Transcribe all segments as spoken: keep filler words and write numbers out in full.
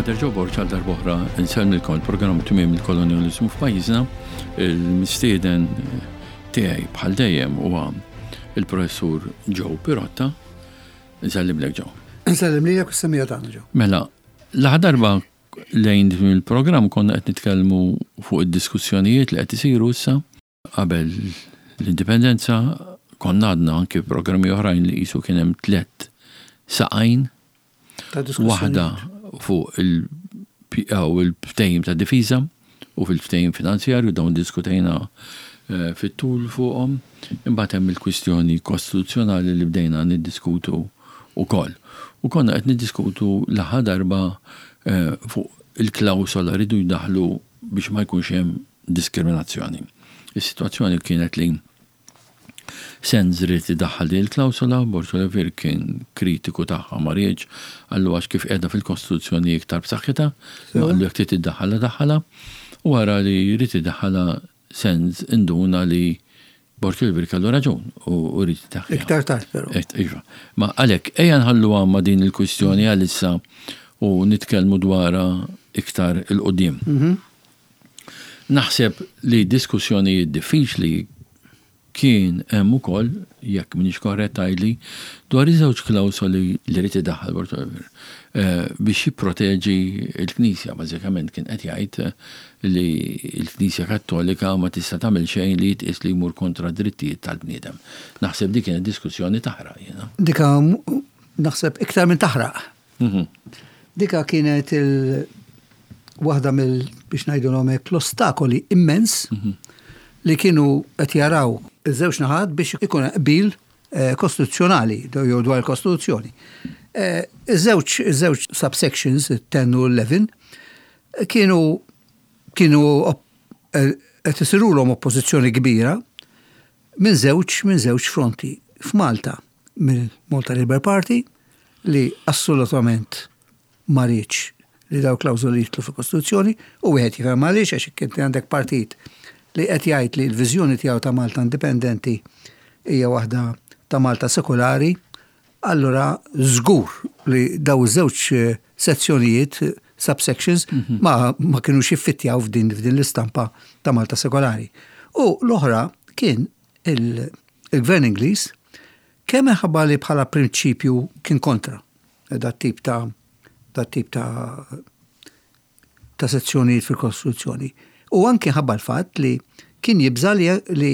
Father Joe Borg għal darb'oħra nsellmilkom. Il-programm Tmiem il-Kolonjaliżmu f'Pajjiżna. Il-mistieden tiegħi bħal dejjem huwa il-professur Joe Pirotta. Nsellimlek, Joe. Nsellem lilek u s-semmiegħa tagħna, Joe. Mela, l-aħħar darba lejn il-programm konna qed nitkellmu fuq id-diskussjonijiet li qed isiru issa qabel l-indipendenza. Konna għadna anki programmi oħrajn li qisu kien hemm tliet saqajn. Ta' diskussjoni. Waħda fuq il-ftehim ta' difiża u fil-ftehim finanzjarju, dawn diskutejna eh, fit-tul fuqhom. Imbagħad hemm il-kwistjoni kostituzzjonali li bdejna niddiskutu ukoll. U konna qed niddiskutu l-aħħar darba eh, fuq il-klawsola rridu jdaħlu biex ma jkunx hemm diskriminazzjoni. Is-sitwazzjoni kienet li Sands ried idaħħal din il-klawsola, Borg Olivier kien kritiku tagħha, ma riedx, qallu għax kif qiegħda fil-Kostituzzjoni iktar b'saħħitha, ma qallu jekk trid iddaħħalha daħħalha. U wara li jrid idaħħalha Sands induna li Borg Olivier kellu raġun u u ried idaħħalha. Iktar tard però. Et, iva. Ma għalhekk, ejja nħallu għamma din il-kwistjoni għalissa u nitkellmu dwarha iktar 'il quddiem. Naħseb li diskussjonijiet diffiċli kien hemm ukoll, jekk m'iniex korrett għidli, dwar iż-żewġ klawsoli li ried idaħħal Borg Olivier eh, biex jipproteġi l-Knisja. Bażikament kien qed jgħid eh, li l-Knisja Kattolika ma tista' tagħmel xejn li jitqies li jmur kontra drittijiet tal-bniedem. Naħseb dik kienet diskussjoni taħraq jiena. Dika m- naħseb iktar minn taħraq. Mhm. Dika kienet il waħda mill, biex ngħidu hekk, l-ostakoli immens li kienu qed jaraw iż-żewġ naħat biex ikun qbil eh, kostituzzjonali jew dwar il-Kostituzzjoni. Eh, Iż-żewġ iż-żewġ subsections, ten u eleven, kienu kienu op- eh, qed isirulhom oppożizzjoni kbira minn żewġ minn żewġ fronti. F'Malta mill-Malta Labour Party, li assolutament ma riedx li daw klawżoli jidħlu fil-Kostituzzjoni, u wieħed jifhem għaliex, għax kien għandek partit li qed jgħid li l-viżjoni tiegħu ta' Malta indipendenti hija waħda ta' Malta sekolari, allura żgur li daw iż-żewġ eh, sezzjonijiet, eh, subsections, ma, ma kienux jiffittjaw f'din f'din l-istampa ta' Malta sekolari. U l-oħra kien il- il-Gvern Ingliż, kemm minħabba li bħala prinċipju kien kontra dat tip ta' dat tip ta' ta' sezzjonijiet fil-Kostituzzjoni. U anki ħabba l-fatt li kien jibża li, li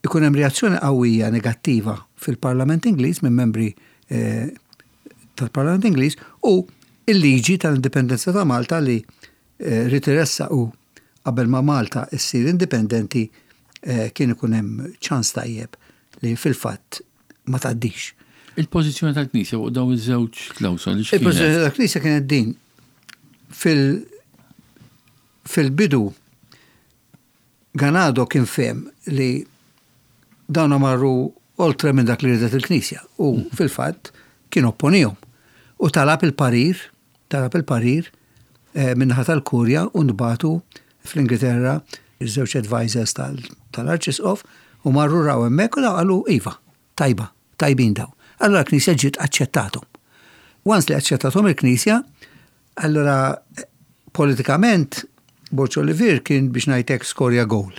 ikun hemm reazzjoni qawwija negattiva fil-Parlament Ingliż minn membri eh, tal-Parlament Ingliż u il-liġi tal-indipendenza ta' Malta li eh, ried iressaq u qabel ma Malta issir indipendenti eh, kien ikun hemm ċans tajjeb li fil-fatt ma tgħaddix. Il-pożizzjoni tal-Knisja fuq dawn iż-żewġ klawsoli x'kienet? Il-pożizzjoni tal-Knisja kienet din. Fil fil-bidu Ganado kien fehem li dawna marru oltre minn dak li ridet il-Knisja u fil-fatt kien opponihom. U talab il-parir, talab il-parir eh, min-naħa tal-Kurja u nbagħtu fl-Ingilterra iż-żewġ advisors tal- tal-Arċisqof u marru raw hemmhekk u daw qalu iva, tajba, tajbin daw. Allora l-Knisja ġiet aċċettathom. Once li aċċettathom il-Knisja, allora eh, politikament Borg Olivier kien, biex ngħidlek, skorja goal.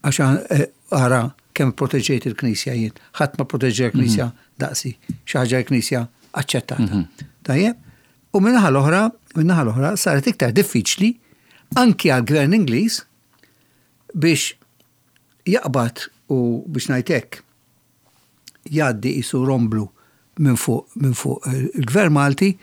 Għax eh, ara kemm proteġejt il-Knisja jien. Ħadd ma proteġġa l-Knisja daqsi. Xi ħaġa l-Knisja aċċettata. Tajjeb? U min-naħa l-oħra, min-naħa l-oħra saret iktar diffiċli anki għal-Gvern Ingliż biex jaqbad u, biex ngħidlek, jgħaddi qisu romblu minn fuq minn fuq il-Gvern Malti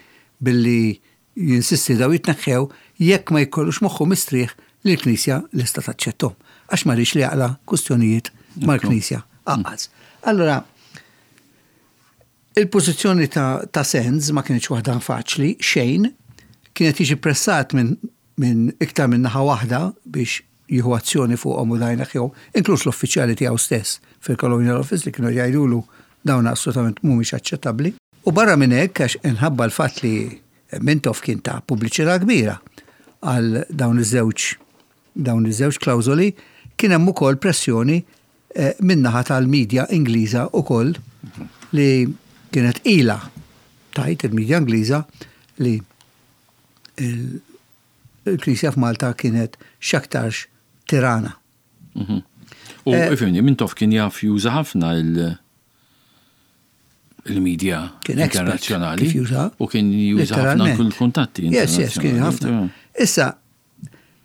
billi jinsisti daw jitneħħew jekk ma jkollux moħħu mistrieħ li l-Knisja lesta taċċettom. Għax ma riedx li jaqla kwistjonijiet mal-Knisja anqas. Allora, il-pożizzjoni ta', ta' Sands ma kienx waħda faċli, xejn, kienet jiġi pressat minn min iktar minn naħa waħda biex jieħu azzjoni fuqhom u dajna jew, inkluż l-uffiċjali tiegħu stess fil-Colonial Office li kienu jgħidulu dawn assolutament mhumiex aċċettabbli. U barra minn hekk, għax inħabba l-fatt li Mintoff kien ta pubbliċità kbira għal dawn iż-żewġ dawn iż-żewġ klawżoli, kien hemm ukoll pressjoni eh, min-naħa tal-medja Ingliża ukoll, li kienet ila tgħid il-medja Ingliża li il-Knisja f'Malta kienet x'aktarx tirana. Mhm. U eh, ifhimni, Mintoff kien jaf juża ħafna il-media internazzjonali. U kien juża ħafna kull-kuntatti. Yes, yes, kien ħafna. Issa,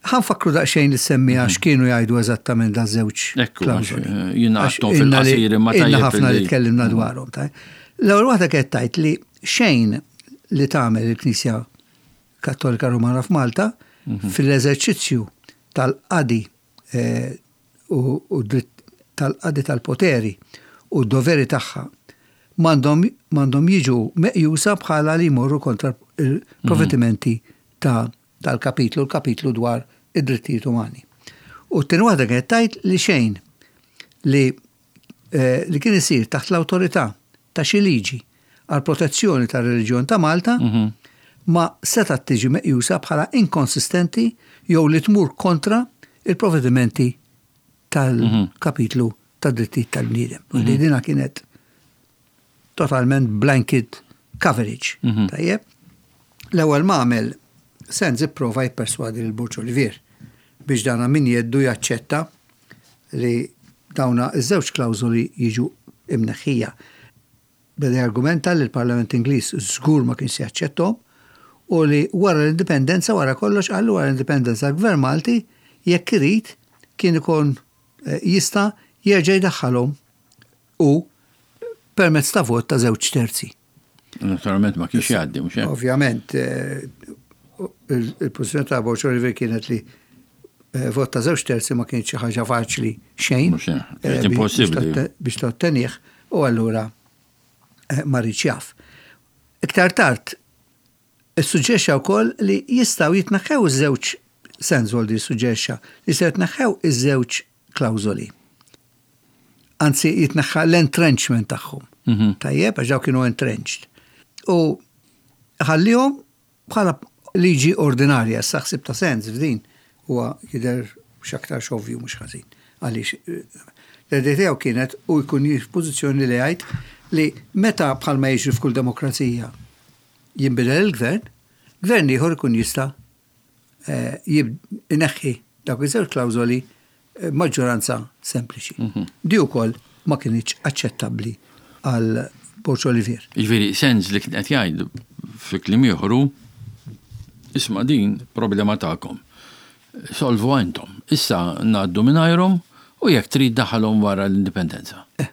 ħa nfakkru daqsxejn li semmiha mhm. x'kienu jgħidu eżattament da żewġ klawżoli. Eh, jiena fil-qasir imma tajjeb. Ħafna li tkellimna mhm. dwarhom. L-ewwel waħda kienet tgħid li xejn li tagħmel il-Knisja Kattolika Romana f'Malta mhm. fil-eżerċizzju tal-qadi eh, u tal-qadi tal-poteri u d-doveri tagħha m'għandhom jiġu meqjusa bħala li jmorru kontra il-provvedimenti ta' tal-kapitlu, l-kapitlu dwar id-drittijiet umani. U t-tieni waħda kienet tgħid li xejn li eh, li kien isir taħt l-awtorità ta' xi liġi għal protezzjoni tar-reliġjon ta' Malta mhm. ma setgħet tiġi meqjusa bħala inkonsistenti jew li tmur kontra il-provvedimenti tal-kapitlu tad-drittijiet tal-bniedem. Mm -hmm. Dina kienet totalment blanket coverage. Mhm. Tajjeb? L-ewwel ma għamel Sands ipprova jipperswadi lil Borg Olivier biex dana min jeddu jaċċetta li dawna iż-żewġ klawżoli jiġu imneħħija. Beda argumenta li l-Parlament Ingliż żgur ma kienx jaċċettom u li wara l-indipendenza, wara kollox qallu wara l-indipendenza l-Gvern Malti jekk irid kien ikun eh, jista' jerġa' jdaħħalhom u permezz ta' vot ta' żewġ terzi. Naturalment ma kienx jgħaddi, mhux hekk? Ovvjament, eh, il-pożizzjoni ta' Borg Olivier kienet li eh, vot ta' żewġ terzi ma kienx xi ħaġa faċli xejn. Mhux hekk, kienet impossibbli. Biex tottenih u allura ma riedx jaf. Iktar tard, issuġġerixxa wkoll li jistgħu jitneħħew iż-żewġ Sands suġġerixxa li se jitneħħew iż-żewġ klawżoli. Anzi, jitneħħa l-entrenchment tagħhom. Mhm. Tajjeb, għax daw kienu entrenched. U ħallihom bħala liġi ordinarja, s-saħsib ta' Sands f'din huwa jidher x'aktar ovvju mhux ħażin. Għaliex l-idea tiegħu kienet u jkun f'pożizzjoni li jgħid li meta bħalma jiġri f'kull demokrazija jinbidel il-gvern, gvern ieħor ikun jista' eh, ineħħi dawk iż-żewġ klawżoli eh, maġġoranza sempliċi. Mhm. Di wkoll ma kienx aċċettabbli għal Borg Olivier. Jiġifieri Sands li kien qed jgħid fi kliem ieħor isma' din problema tagħkom. Solvu intom. Issa ngħaddu mingħajrhom u jekk trid daħalhom wara l-indipendenza. Eh.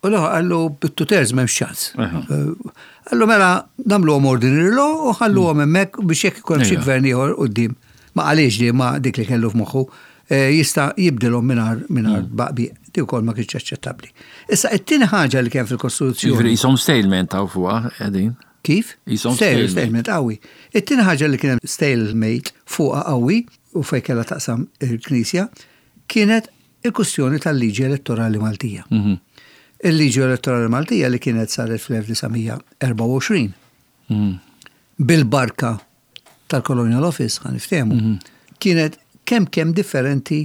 U l qallu bit-two thirds m'hemmx ċans. Qallu mela nagħmluhom ordinary law u ħalluhom hemmhekk biex jekk ikun xi gvern ieħor quddiem. Ma qalix di ma dik li kellu f'moħħu eh, jista' jibdilhom mingħajr mingħajr mm. baqbi. Di wkoll ma kienx aċċettabbli. Issa it-tieni ħaġa li kien fil-Kostituzzjoni. Jiġifieri qishom stalemate taw fuqha qegħdin. Kif? Qishom stalemate qawwi. It-tieni ħaġa li kien stalemate fuqha qawwi u fejn kellha taqsam il-Knisja kienet il-kwistjoni tal-liġi elettorali Maltija. Mhm. Il-liġi elettorali Maltija li kienet saret fl-elf disa' mija erbgħa u għoxrin mhm. bil-barka tal-Colonial Office, ħa niftehmu, mhm. kienet kemm kemm differenti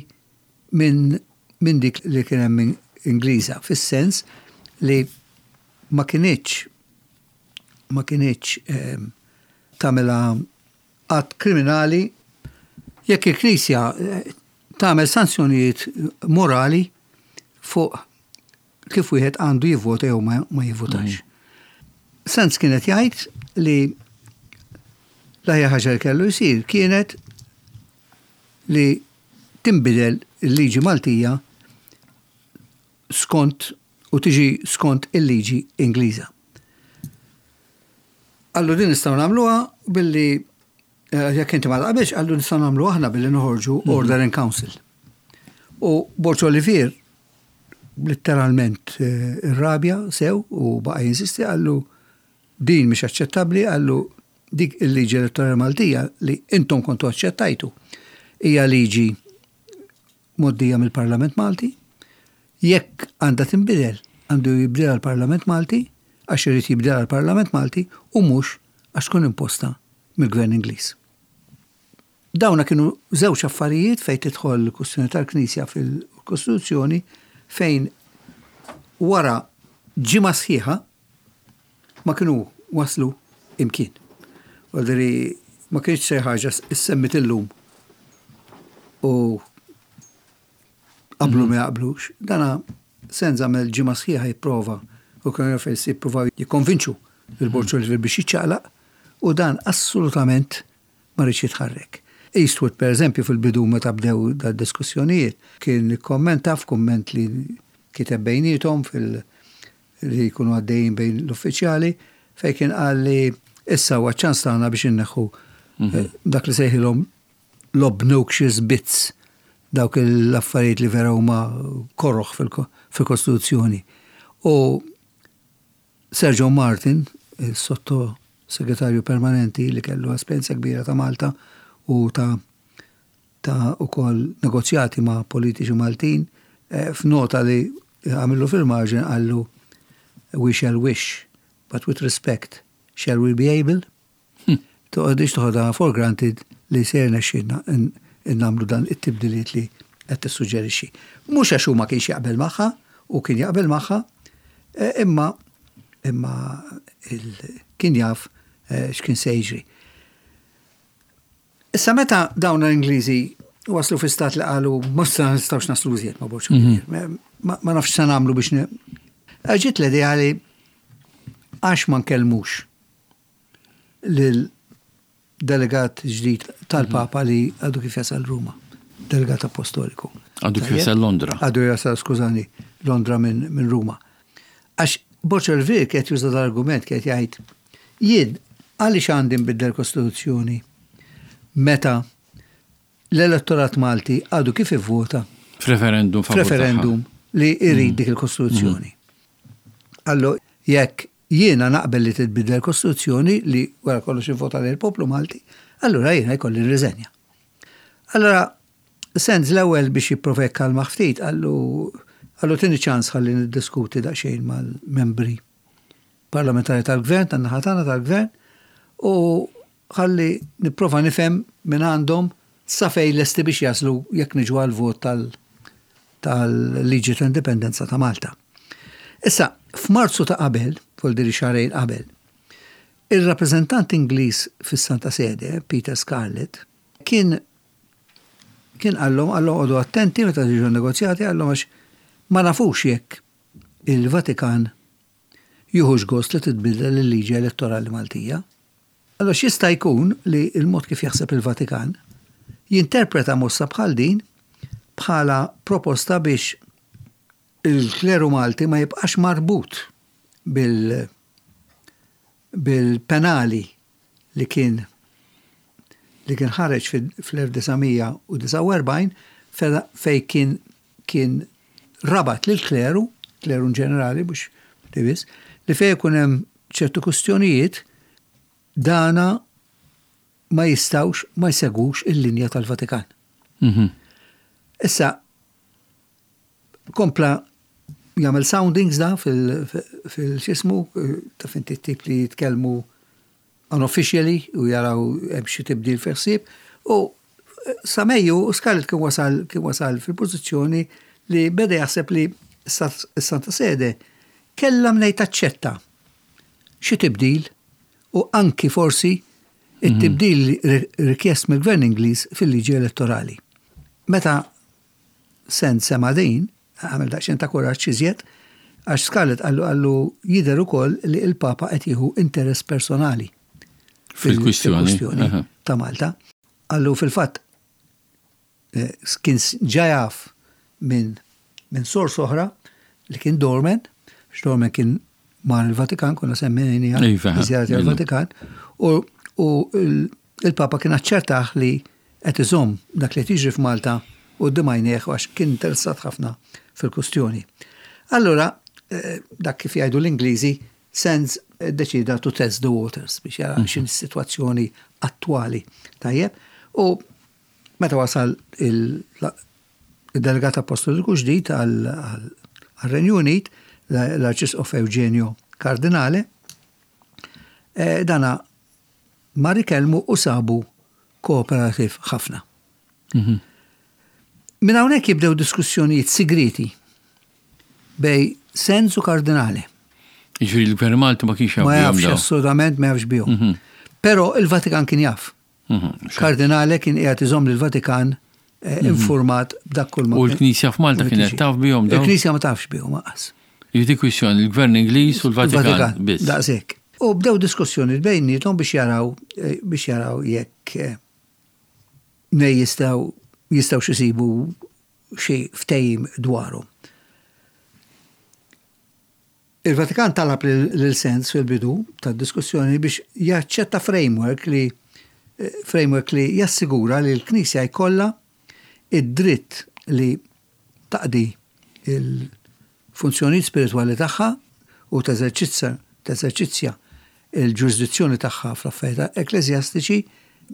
minn min dik li kien hemm Ingliża, fis-sens li ma kinitx ma kinitx eh, tagħmilha att kriminali jekk il-Knisja eh, tagħmel sanzjonijiet morali fuq kif wieħed għandu jivvota jew ma, ma jivvotax. Mm. Sands kienet jgħid li l-aħjar ħaġa li kellu jsir kienet li tinbidel il-liġi Maltija skont u tiġi skont il-liġi Ingliża. Qallu din nistgħu nagħmluha billi eh, jekk inti ma taqbilx, qallu nistgħu nagħmlu aħna billi noħorġu mhm. Order in Council. U Borg Olivier letteralment eh, irrabja sew u baqa jinsisti, qallu din mhix aċċettabbli, qallu dik il-liġi elettorali Maltija li intom kontu aċċettajtu hija liġi mgħoddija mill-Parlament Malti. Jekk għandha tinbidel, għandu jibdilha l-Parlament Malti għax irid jibdilha l-Parlament Malti u mhux għax tkun imposta mill-Gvern Ingliż. Dawna kienu żewġ affarijiet fejn tidħol l-kwistjoni tal-Knisja fil-Kostituzzjoni fejn wara ġimgħa sħiħa ma kienu waslu imkien. Għaldiri Ma kienx xi ħaġa issemmit illum u qablu ma jaqblux. Dana Sands għamel ġimgħa sħiħa jipprova u kienu fejn jippruvaw jikkonvinċu il-Borg Olivier biex jiċċaqlaq u dan assolutament ma riedx jitħarrek. Eastwood, per eżempju, fil-bidu meta bdew da diskussjonijiet, kien kommenta f'kumment li kiteb bejnietom fil- li jkunu għaddejjin bejn l-uffiċjali, fej kien qal li issa huwa ċans tagħna biex inneħħu eh, dak li sejħilhom l-obnoxious bits, dawk l-affarijiet li vera huma korroħ fil-Kostituzzjoni. U Sir John Martin, il-sotto segretarju permanenti li kellu esperjenza kbira ta' Malta u ta' ta' ukoll negozjati ma' politiċi Maltin, eh, f'nota li għamillu fil-marġin qallu: "We shall wish, but with respect, shall we be able?" Toqgħodix toħodha for granted li ser nexxinna nagħmlu dan it-tibdiliet li qed tissuġġerixxi. Mhux għax ma kienx jaqbel magħha u kien jaqbel magħha, eh, imma imma kien jaf eh, x'kien se jiġri. Issa meta dawn l-Ingliżi waslu fi stat li qalu ma nistgħux naslu iżjed ma' Borg, mhm. ma nafx se nagħmlu biex ġiet l-idea li għax ma nkellmux lil delegat ġdid tal-Papa li għadu kif jasal Ruma, delegat apostoliku. Għadu kif jasal Londra. Għadu jasal, skużani, Londra minn min Ruma. Għax Borg Olivier kien juża l-argument, kien jgħid: jien għaliex għandi nbiddel kostituzzjoni meta l-elettorat Malti għadu kif ivvota f'referendum? F'referendum li jrid mm. dik il-kostituzzjoni. Allo, jekk jiena naqbel li titbiddel kostituzzjoni li wara kollox ivvota lil poplu Malti, allura jiena jkolli nirriżenja. Allora, Sands l-ewwel biex jipprova jikkalma ftit qallu qallu tini ċans ħalli niddiskuti daqsxejn mal-membri parlamentari tal-gvern, tan-naħa tagħna tal-gvern, u ħalli nipprova nifhem minn għandhom sa fejn lesti biex jaslu jekk niġu għal-vot tal-liġi ta' indipendenza ta' Malta. Issa, f'Marzu ta' qabel, vuol xahrejn qabel, il-rappreżentant Ingliż fis-Santa Sede, Peter Scarlett, kien kien qallhom qallhom oqogħdu attenti meta tiġu negozjati, qallhom, għax ma nafux jekk il-Vatikan jieħux gost li titbidel il-liġi elettorali Maltija. Allora x'jista' jkun li il-mod kif jaħseb il-Vatikan jinterpreta mossa bħal din bħala proposta biex il-kleru Malti ma jibqax marbut bil bil-penali li kien li kien ħareġ fl-elf disa' mija u disgħa u erbgħin fej kien kien rabat lil kleru, kleru ġenerali mhux biss, li fej ikun hemm ċertu kustjonijiet dana ma jistawx ma jsegwux il-linja tal-Vatikan. Mhm. Issa, kompla jagħmel soundings da fil-xismu, ta' finti tip li jitkellmu unofficially u jaraw hemm xi tibdil fi ħsieb u sa Mejju Scarlett kien wasal kien wasal fil-pożizzjoni li beda jaħseb li s-Santa Sede kellha mnejn taċċetta xi tibdil u anki forsi it-tibdil rikjest mill-Gvern Ingliż fil-liġi elettorali. Meta Sands sema' din, għamel daqsxejn ta' kuraġġ iżjed, għax Scarlett qallu qallu jidher ukoll li il-Papa qed jieħu interess personali fil-kwistjoni ta' Malta. Qallu fil-fatt eh, kien ġa jaf minn min sors oħra li kien Dorman, x'Dorman kien mar il-Vatikan, konna semmejna Iva, żjara il-Vatikan, u il-Papa kien aċċertaħ li qed iżomm dak li tiġri f'Malta u d-dimajnieħ għax kien interessat ħafna fil-kustjoni. Allora, eh, dak kif jgħidu l-Ingliżi, Sands deċida to test the waters biex jara mm. x'inhi s-sitwazzjoni attwali. Tajjeb, u meta wasal il-delegat apostoliku ġdid għal-Renju Unit, l-Arċisqof Eugenio Cardinale, eh, dana mar ikellmu u sabu kooperativ ħafna. Mhm. Minn hawnhekk jibdew diskussjonijiet sigriti bejn Sands u Cardinale. Jiġifieri l-Gvern Malti ma kienx Ma jafx, assolutament ma jafx bihom. Mhm. Però il-Vatikan kien jaf. Mhm. Kardinale kien qiegħed iżomm lill-Vatikan eh, informat b'dak kull ma U l-Knisja f'Malta kienet taf bihom dawn? Il-Knisja ma tafx bihom lanqas. Jiġifieri kwistjoni l-Gvern Ingliż u l-Vatikan biss. Daqshekk. U bdew diskussjoni bejniethom biex jaraw eh, biex jaraw jekk eh, ne jistgħu jistgħu xisibu xi ftehim dwaru. Il-Vatikan talab lil Sands fil-bidu tad-diskussjoni biex jaċċetta framework li eh, framework li jassigura li l-Knisja jkollha id-dritt li taqdi il-funzjonijiet spiritwali tagħha u teżerċizza teżerċizzja il-ġurisdizzjoni tagħha fl-affarijiet ekkleżjastiċi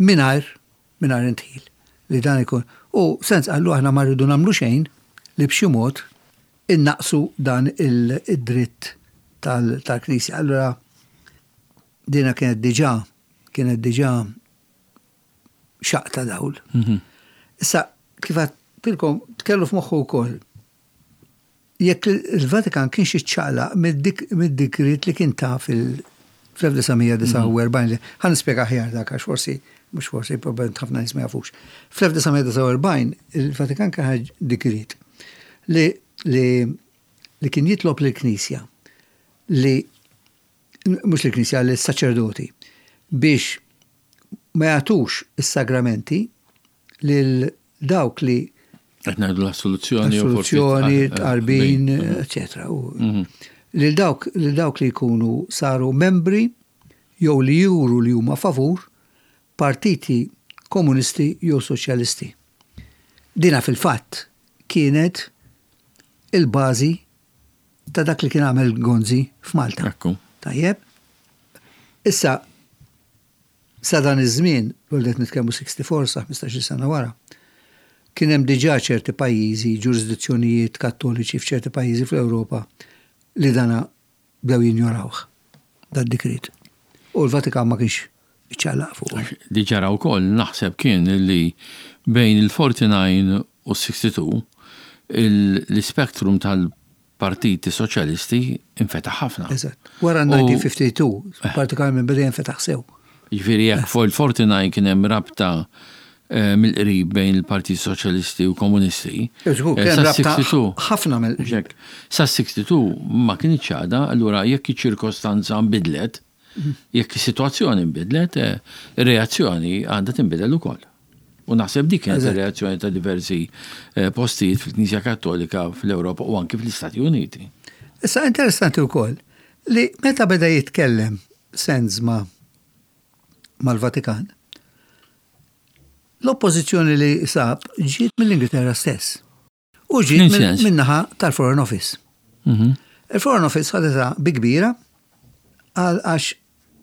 mingħajr mingħajr indħil li dan ikun. U Sands qallu, aħna ma rridu nagħmlu xejn li b'xi mod innaqsu dan il-dritt tal-Knisja. Allura dina kienet diġà kienet diġà xaqq ta' dawl. Mhm. Issa, kif għedtilkom, kellu f'moħħu wkoll jekk il-Vatikan kienx iċċaqlaq mid-dikrit li kien ta' fil-elf disa' mija disgħa u erbgħin, ħa nispjega aħjar dak għax forsi, mhux forsi, probabbilment ħafna nies ma jafux. Fl-elf disa' mija disgħa u erbgħin il-Vatikan kien ħareġ dikrit li li li kien jitlob lill-Knisja li, mhux lill-Knisja, lis-saċerdoti biex ma jagħtux is-sagramenti lil dawk li Qed ngħidu l-assoluzzjoni. U forsi- assoluzzjoni, eh, eh, tqarbin, bejn. eccetera. U- Lil dawk lil dawk li jkunu saru membri jew li juru li huma favur partiti komunisti jew soċjalisti. Dina fil-fatt kienet il-bażi ta' dak li kien għamel Gonzi f'Malta. Ekku. Tajjeb. Issa, sa dan iż-żmien, qed nitkellmu sessija u erbgħa sa ħmistax-il sena wara, kien hemm diġà ċerti pajjiżi, ġurisdizzjonijiet kattoliċi f'ċerti pajjiżi fl-Ewropa li dana bdew jinjorawh dan dikrit. U l-Vatikan ma kienx iċċaqlaq fuq. Li ġara wkoll naħseb kien li bejn il-erbgħa u u s-sitta u sittin l-spektrum tal-partiti soċjalisti infetaħ ħafna. Eżatt. Wara U- elf disa' mija ħamsa u disgħin, partikolarment beda jinfetaħ sew. Jiġifieri jekk fuq il-erbgħa u disgħin kien hemm rabta eh, mill-qrib bejn il-Partit Soċjalisti u Komunisti. Żgur, eh, kien sa rabta sessija u sitta ħafna mill Ġek, sa sitta u sittin ma kienx għada, allura jekk iċ-ċirkostanza nbidlet, jekk is-sitwazzjoni nbidlet, eh, ir-reazzjoni għandha tinbidel ukoll. U naħseb dik kienet Eżatt. ir-reazzjoni ta' diversi eh, postijiet fil-Knisja Kattolika fl-Ewropa u anki fl-Istati Uniti. Issa interessanti wkoll li meta beda jitkellem Sands ma mal-Vatikan, l-oppożizzjoni li sab ġiet mill-Ingilterra stess. U ġiet F'liem minn sens? min-naħa tal-Foreign Office. Mhm. Il-Foreign Office ħadetha bi kbira għal għax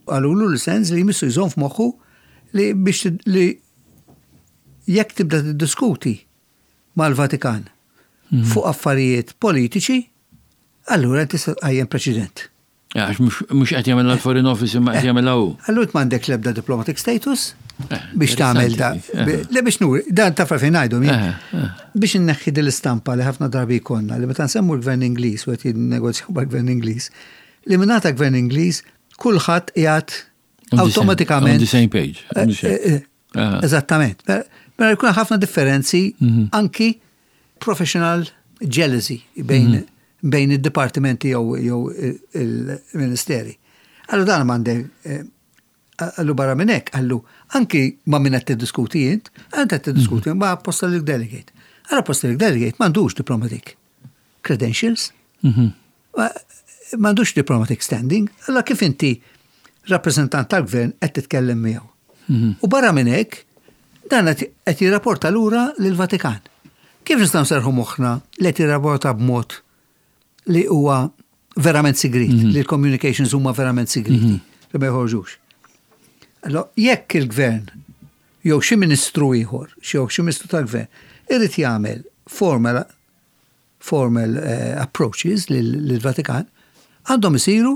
qalulu lil Sands li jmissu jżomm f'moħħu li biex tid- li jekk tibda tiddiskuti mal-Vatikan fuq affarijiet politiċi, allura tista' tqajjem preċedent. Għax mhux mhux qed jagħmel l-Foreign Office imma qed jagħmel hu. Allura m'għandek l-ebda diplomatic status Eh, biex tagħmel da. interessanti, eh. Le biex nuri, dan taf fejn ngħidu jien. Eh, eh. Biex inneħħi din l-istampa li ħafna drabi jkollna li meta nsemmu l-gvern Ingliż u qed jinnegozjaw mal-gvern Ingliż, li mingħata gvern Ingliż kulħadd qiegħed On the same- awtomatikament. On the same page. On the same- Eh, eh, Ah. Eżattament. Mela jkun ħafna differenzi Mhm. anki professional jealousy bejn Mhm. bejn id-dipartimenti jew jew il-ministeri. Allura dan m'għandek eh, qallu barra minn hekk, qallu anki ma' min qed tiddiskuti int, int qed tiddiskuti ma' apostolic delegate. Allura apostolic delegate m'għandux diplomatic credentials, Mhm. ma- m'għandux diplomatic standing, allura kif inti rappresentant tal-gvern qed titkellem miegħu? U barra minn hekk, dan qed qed jirrapporta lura lill-Vatikan. Kif nistgħu nserħu moħħna li qed jirrapporta b'mod li huwa verament sigrit, li l-communications huma verament sigriti, li ma jħorġux? Allora, jekk il-gvern jew xi ministru ieħor, jew xi ministru tal-gvern, irid jagħmel formal formal eh, approaches lill-Vatikan, għandhom isiru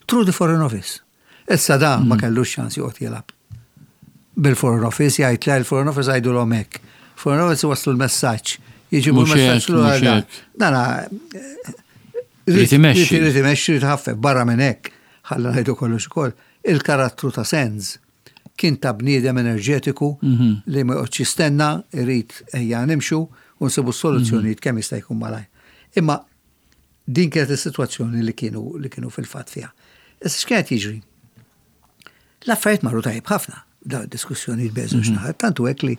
through the Foreign Office. Issa da ma kellux ċans joqgħod jilgħab bil-Foreign Office, jgħid le, il-Foreign Office għidu l hekk. Foreign Office waslu l-messaġġ. Jiġibu Mhux l-messaġġ hekk, lura mhux da. hekk. Dana Irid imexxi. Irid imexxi, irid ħaffef, barra minn hekk, ħalla ngħidu kollox ukoll. Il-karattru ta' Sands Kien ta' bniedem enerġetiku li ma joqgħodx jistenna, irid ejja nimxu u nsibu soluzzjonijiet kemm jista' jkun malajr. Imma din kienet is-sitwazzjoni li kienu li kienu fil-fatt fiha. Issa x'kienet jiġri? L-affarijiet marru tajjeb ħafna, da diskussjonijiet bejn żewġ naħat, tantu hekk li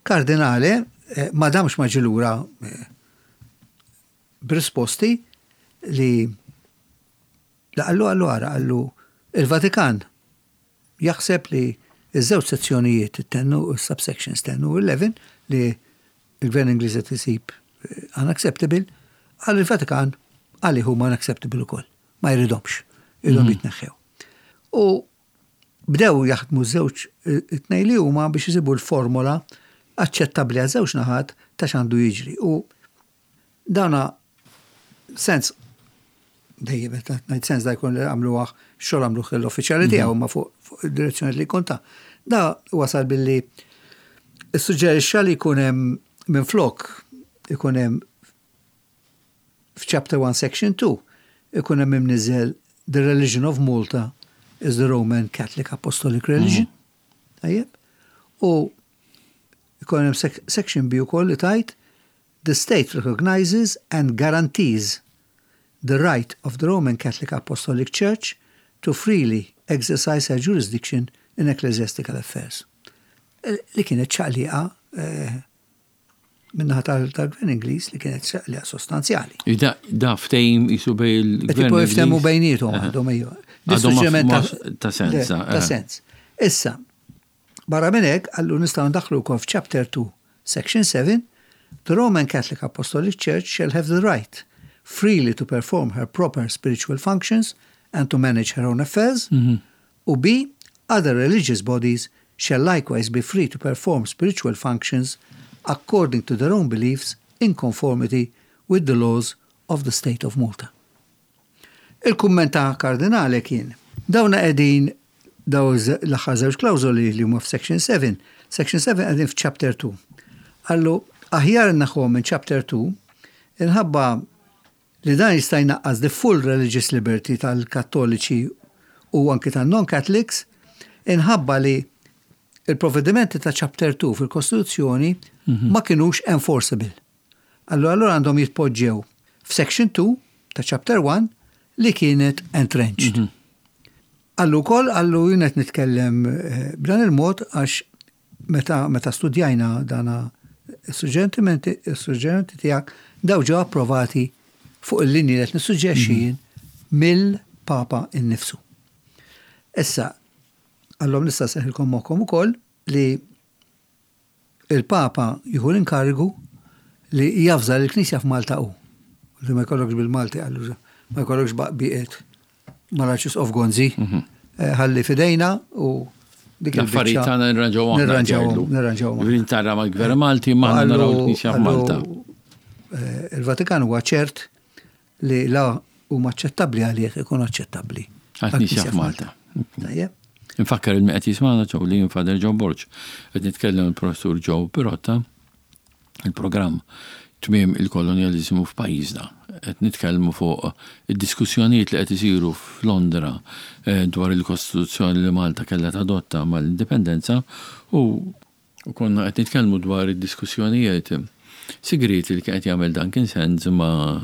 Cardinale eh, ma damx ma ġie lura eh, b'risposti li la qallu qallu ara qallu il-Vatikan jaħseb li iż-żewġ sezzjonijiet, it-ten u subsections ten u eleven, li il-gvern Ingliż qed isib eh, unacceptable, għal il-Vatikan għalih huma unacceptable ukoll. Ma jridhomx, iridhom jitneħħew. U bdew jaħdmu żewġ it-tnejn li huma biex isibu l-formola aċċettabbli għal żewġ naħat ta' x'għandu jiġri. U dana sens dejjem meta ngħid sens da jkun li għamluh xogħol għamluh l-uffiċjali tiegħu ma fuq fuq id-direzzjoni li jkun ta'. Da wasal billi issuġġerixxa li jkun hemm minflok ikun hemm f'chapter one section two ikun hemm imniżel "The religion of Malta is the Roman Catholic Apostolic Religion." Tajjeb. U ikun hemm sec- section B ukoll li tgħid "The state recognizes and guarantees the right of the Roman Catholic Apostolic Church to freely exercise her jurisdiction in ecclesiastical affairs." Eh, Li kienet ċaqliqa eh, min-naħa tal-gvern Ingliż li kienet ċaqliqa sostanzjali. Da, da ftehim qisu bejn il-gvern Tipo jiftehmu Ingliż. bejniethom Aha. għandhom ejju. Għadhom ma- Dissuġġeriment ma- ta' sens, Le, eh. Ta' sens. Issa, barra minn hekk, qallu nistgħu ndaħlu wkoll f'chapter two, section seven, "The Roman Catholic Apostolic Church shall have the right freely to perform her proper spiritual functions and to manage her own affairs." U B, "Other religious bodies shall likewise be free to perform spiritual functions according to their own beliefs in conformity with the laws of the state of Malta." Il-kumment ta' Cardinale kien, dawna qegħdin daw z- l-aħħar żewġ klawżoli li huma f'section seven. Section seven qegħdin f'chapter two. Qallu aħjar naħħuhom minn chapter two inħabba li dan jista' jnaqqas the full religious liberty tal-Kattoliċi u anki tan-non-Catholics inħabba li il-provvedimenti ta' chapter two fil-Kostituzzjoni ma kienux enforceable. Allora allora għandhom jitpoġġew f'section two ta' chapter one li kienet entrenched. Qallu wkoll, qallu jien qed nitkellem eh, b'dan il-mod għax meta, meta studjajna dana is-suġġerimenti is-suġġerimenti tiegħek daw ġew approvati fuq il-linji li qed nissuġġerixxi jien mill-Papa innifsu. Issa, qallhom nista' nserrħilkom moħħkom ukoll li il-Papa jieħu l-inkarigu li javża l-Knisja f'Malta u. Li ma jkollokx bil-Malti qallu ma jkollokx baqbiqet mal-Arċisqof Gonzi, eh, ħalli fidejna u dik L-affarijiet il-biċċa tagħna nirranġaw aħna. Nirranġawhom, jgħidlu. nirranġawhom. Ġifieri tara mal-gvern Malti ma aħna naraw il-Knisja f'Malta. eh, Il-Vatikan huwa ċert li la huma aċċettabbli għalih ikun aċċettabbli Għal-Knisja f'Malta. Tajjeb. Infakkar lil min qed jismagħna ġew li Father Joe Borg. Qed nitkellem il-professur Joe Pirotta, il-programm Tmiem il-Kolonjalizmu f'pajjiżna. Qed nitkellmu fuq id-diskussjonijiet li qed isiru f'Londra eh, dwar il-Kostituzzjoni li Malta kellha tadotta mal-indipendenza u u konna qed nitkellmu dwar id-diskussjonijiet sigriti li kien qed jagħmel Duncan Sandys ma'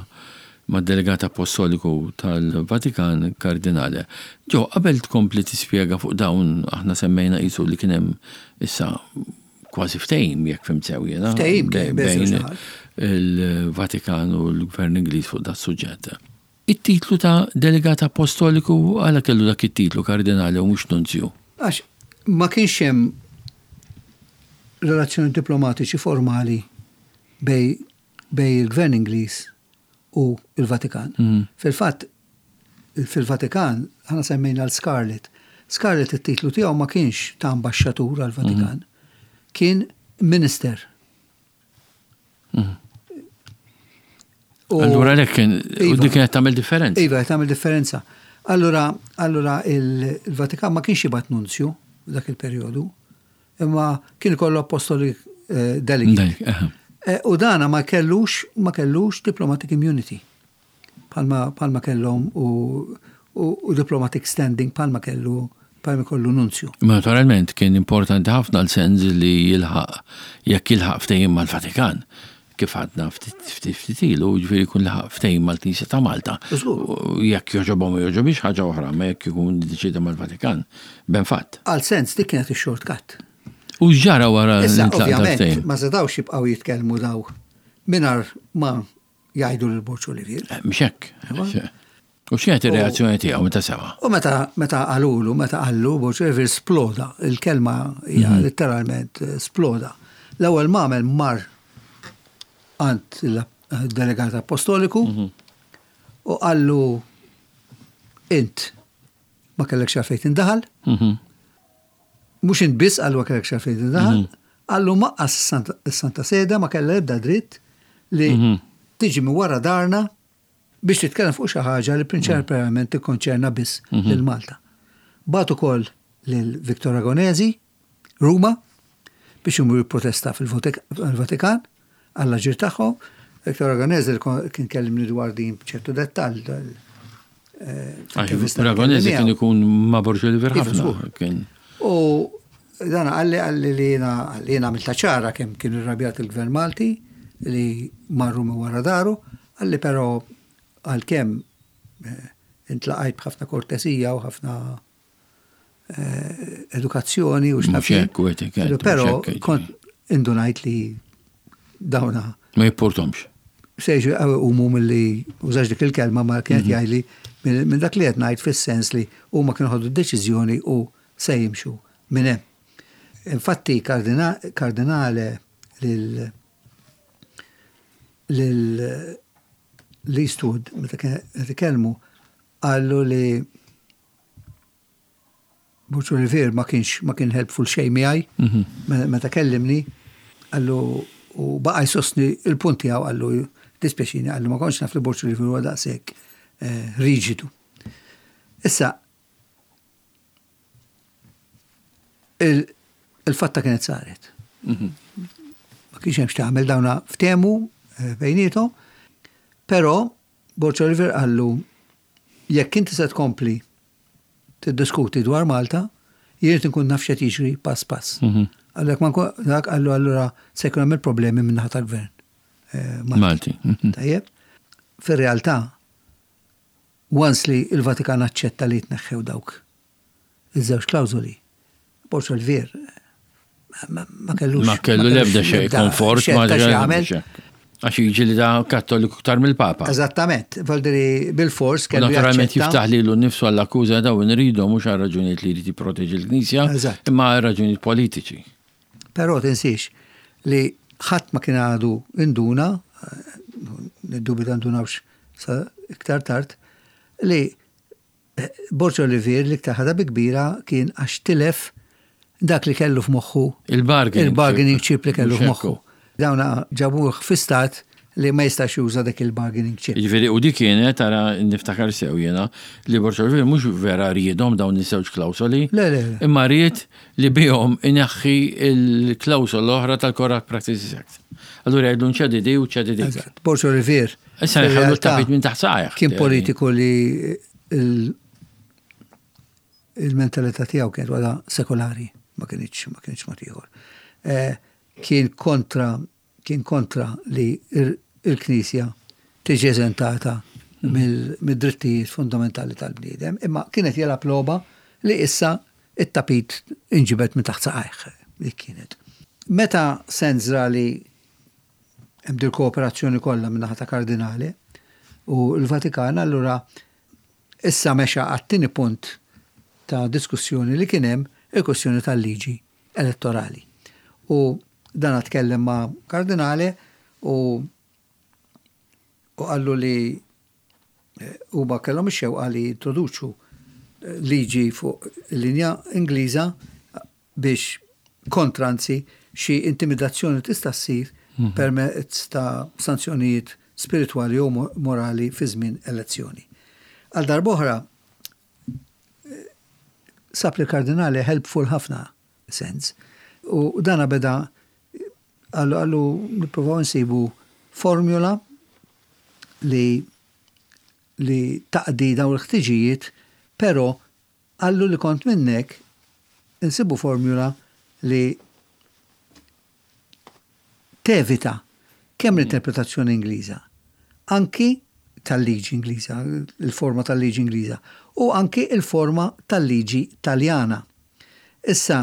ma' delegat apostoliku tal-Vatikan Cardinale. Joe, qabel tkompli tispjega fuq dawn aħna semmejna qisu li kien hemm issa kważi ftehim jekk fhimt sew jiena. Ftehim kien bejn bejn żewġ il-Vatikan u l-Gvern Ingliż fuq dat suġġett. It-titlu ta' delegat apostoliku għala kellu dak it-titlu Cardinale u mhux nunzju? Għax ma kienx hemm relazzjoni diplomatiċi formali bejn bejn il-Gvern Ingliż u il-Vatikan. Fil-fatt, fil-Vatikan, aħna semmejna l-Scarlett. Scarlett it-titlu tiegħu ma kienx ta' ambaxxatur għal-Vatikan, kien minister. U- Allura lek kien, u Iva. dik kienet tagħmel differenza. Iva, tagħmel differenza. Allura, allura il- il-Vatikan ma kienx jibgħat nunzju dak il-perjodu, imma kien ikollu apostolic eh, delegate. Dak, aha. Eh, U dana ma kellux, ma kellux diplomatic immunity. Bħalma, bħalma kellhom u, u, u diplomatic standing bħalma kellu bħal kollu nunzju. Ma naturalment kien importanti ħafna l-sens li jilħaq, jekk jilħaq ftehim mal-Vatikan, kif għadna ftit ftit ilu, ġifieri jkun laħaq ftehim mal-Knisja ta' Malta. Żgur. U jekk jogħġobhom u jogħġobix ħaġa oħra, ma jekk ikun deċida mal-Vatikan, ben fatt. Għal sens dik kienet ix-shortcut. U x'ġara wara Issa, l-intlaq ovvjament, tal-ftehim? ma setgħux jibqgħu jitkellmu daw mingħajr ma jgħidu lil Borg Olivier. Eh, Mhux hekk. U x'kienet ir-reazzjoni tiegħu meta sema'? U meta meta qalulu, meta qallu, Borg Olivier sploda, il-kelma hija letteralment eh, sploda. L-ewwel ma għamel mar għand il-delegat apostoliku u qallu int ma kellekx għalfejn tindaħal, Mhm. mhux int biss qallu ma kellekx għalfejn tindaħal, qallu lanqas is-Santa Sede ma kellha ebda dritt li tiġi minn wara daharna biex titkellem fuq xi ħaġa li prinċipalment tikkonċerna biss lil Malta. Bagħat ukoll lil Victor Ragonesi, Ruma, biex imur jipprotesta fil-Vatikan għall-aġir tagħhom. Victor Ragonesi li kien kellimni dwar din b'ċertu dettall. eh, Għax Ragonesi kien ikun ma' Borg Olivier Iva, ħafna. żgur. Kien. U dan qalli qalli li jiena qalli jiena għamilta ċara kemm kien irrabjat il-Gvern Malti li marru minn wara daru, qalli però għalkemm eh, intlaqajt b'ħafna kortesija u ħafna eh, edukazzjoni u x'naf Mhux jien. hekk u etikett, Però mhux hekk, kont indunajt li dawna Ma jipportomx. sejġu umu mill-li użax dik il-kelma ma kienet jgħidli minn minn dak li qed ngħid fis-sens li huma kienu ħadu deċiżjoni u se jimxu minn hemm. Infatti kardina- kardinale lil lil l-Eastwood meta kien qed ikellmu qallu li Borg Olivier ma kienx ma kien helpful xejn miegħi me- meta kellimni qallu u baqa' jsostni il-punt tiegħu qallu dispjaċini qallu ma kontx naf li Borg Olivier huwa daqshekk eh, riġidu. Issa il- il-fatta kienet saret. Ma kienx hemm x'tagħmel dawna ftehmu eh, bejniethom, però Borg Olivier qallu jekk inti se tkompli tiddiskuti dwar Malta, jien irid inkun naf x'qed jiġri pass pass. Għallek ma nkun dak qallu allura se jkun hemm il-problemi minn naħa tal-gvern. eh, Malti. Malti. Mhm. Tajjeb. Fir-realtà, once li il-Vatikan aċċetta li jitneħħew dawk iż-żewġ klawżoli, Borg Olivier ma- ma kellux. Ma kellu l-ebda xejn komfort ma ma jagħmel. Għax jiġi li da kattoliku ktar mill-Papa. Eżattament, valdiri bil-fors U kellu Naturalment jaċċetta. jiftaħ lilu nnifsu għall-akkuża daw nridu mhux għal raġunijiet li jrid jipproteġi l-Knisja, Eżatt. imma għal raġunijiet politiċi. Però tinsiex li ħadd ma kien għadu induna, eh, niddubita ndunawx sa iktar tard, li eh, Borg Olivier li iktar ħadha bi kbira kien għax tilef dak li kellu f'moħħu Il-bargaining il-bargaining chip. chip li kellu Mhux f'moħħu. hekk. Dawna ġabuh fi stat li ma jistax juża dak il-bargaining chip. Jiġifieri u dik kienet tara niftakar sew jiena li Borg Olivier mhux vera riedhom dawn iż-żewġ klawsoli. Le, le, le. Imma ried li bihom ineħħi il-klawsola l-oħra tal-Corrupt Practices Act. Allura jgħidu nċedi di u ċedi dik. Eżatt. Borg Olivier. Issa jħallu fil-realtà, t-tapit minn taħt saqajh. Kien politiku li il- il-mentalità tiegħu kienet waħda sekolari, ma kienx ma kienx mod ieħor. Eh, Kien kontra kien kontra li il- il-Knisja tiġi eżentata mill- mid-drittijiet fundamentali tal-bniedem, imma kienet jelgħab logħba li issa it-tapit inġibet minn taħt saqajh li kienet. Meta Sens ra li hemm dil kooperazzjoni kollha minn naħa ta' kardinali u l-Vatikan allura issa mexa għat-tieni punt ta' diskussjoni li kien hemm il-kwestjoni tal-liġi elettorali. U dan tkellem ma' kardinali u u qallu li eh, huma kellhom ix-xewqa li jintroduċu eh, liġi fuq linja Ingliża biex kontra anzi xi intimidazzjoni tista' ssir permezz ta' sanzjonijiet spiritwali u mo- morali fi żmien elezzjoni. Għal darb'oħra eh, sab li kardinali helpful ħafna sens. U dana beda qallu qallu nippruvaw nsibu formula li li taqdi dawn il-ħtiġijiet, però Qallu li kont minnek insibu formula li tevita kemm l-interpretazzjoni Ingliża, anki tal-liġi Ingliża, il-forma tal-liġi Ingliża, u anki il-forma tal-liġi Taljana. Issa,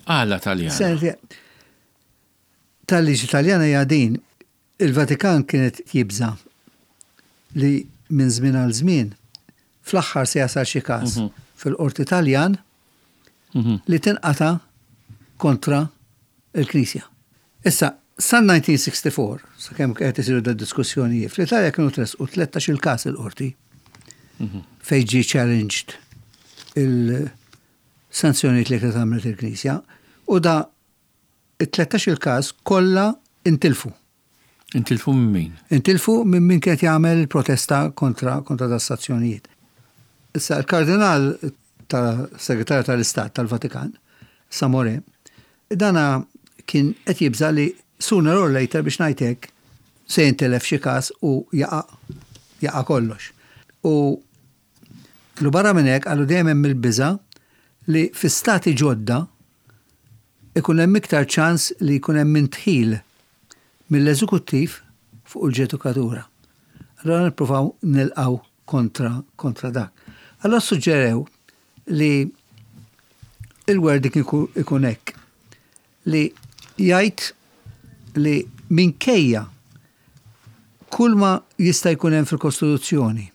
Għala Taljana? Tal-liġi Taljana hija din, il-Vatikan kienet jibża li minn żmien għal żmien fl-aħħar se jasal xi każ mhm. fil-qorti Taljan mhm. li tinqata kontra il-Knisja. Issa, sal-elf disa' mija u sitta u sittin, sakemm qed isiru da diskussjonijiet, fl-Italja kienu tressqu tlettax il-każ il-qorti mhm. fejn ġie challenged il-sanzjonijiet li kienet għamlet il-Knisja u da it-tlettax il-każ kollha intilfu. Intilfu minn min? Intilfu minn min kienet jagħmel protesta kontra kontra da sanzjonijiet. Issa il-kardinal ta' segretarju tal-Istat tal-Vatikan, Samore, dana kien qed jibża li sooner or later, biex ngħidlek, se jintilef xi każ u jaqa' jaqa' kollox. U lu barra minn hekk għallu dejjem hemm il-biża li fi stati ġodda ikun hemm iktar ċans li jkun hemm indħil mill-eżekuttiv fuq il-ġudikatura. Allora nippruvaw nilqaw kontra kontra dak. Allora suġġerew li il-wording ikun hekk li jgħid li minkejja kull ma jista' jkun hemm fil-Kostituzzjoni,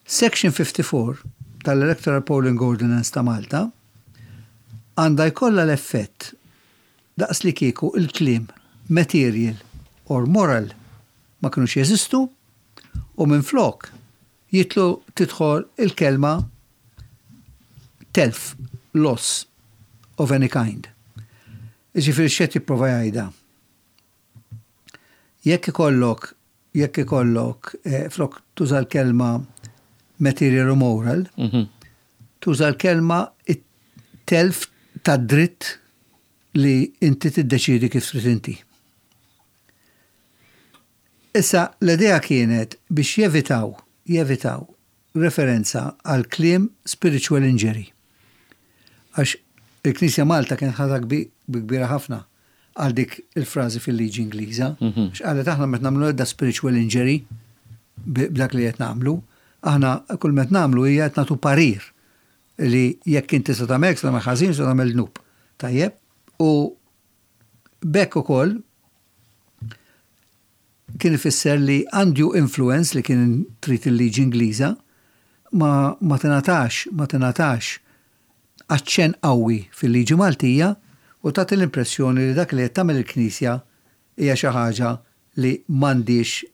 Section fifty-four tal-Electoral Polling Ordinance ta' Malta għandha jkollha l-effett daqs li kieku il-kliem material or moral ma kinux jeżistu u minn flok jitlu tidħol il-kelma telf, loss of any kind. Ġifieri x'qed jipprova jgħidha? Jekk ikollok, jekk ikollok, eh, flok tuża l-kelma material u moral, mhm. tuża l-kelma telf ta' dritt li inti tiddeċidi kif trid inti. Issa, l-idea kienet biex jevitaw, jevitaw referenza għal kliem spiritual injury. Għax il-Knisja Malta kienet ħadha kbira ħafna għal dik il-frażi fil-liġi Ingliża. Mhm. Għax qalet aħna meta nagħmlu edda spiritual injury b'dak li qed nagħmlu, aħna kull met nagħmlu hija qed nagħtu parir li jekk inti se tagħmel se tagħmel ħażin, se tagħmel dnub. Tajjeb? U b'hekk ukoll kien ifisser li undue influence li kien trid il-liġi Ingliża ma, ma tingħatax, ma tingħatax aċċen qawwi fil-liġi Maltija u tagħti l-impressjoni li dak li qed tagħmel il-Knisja hija xi ħaġa li m'għandix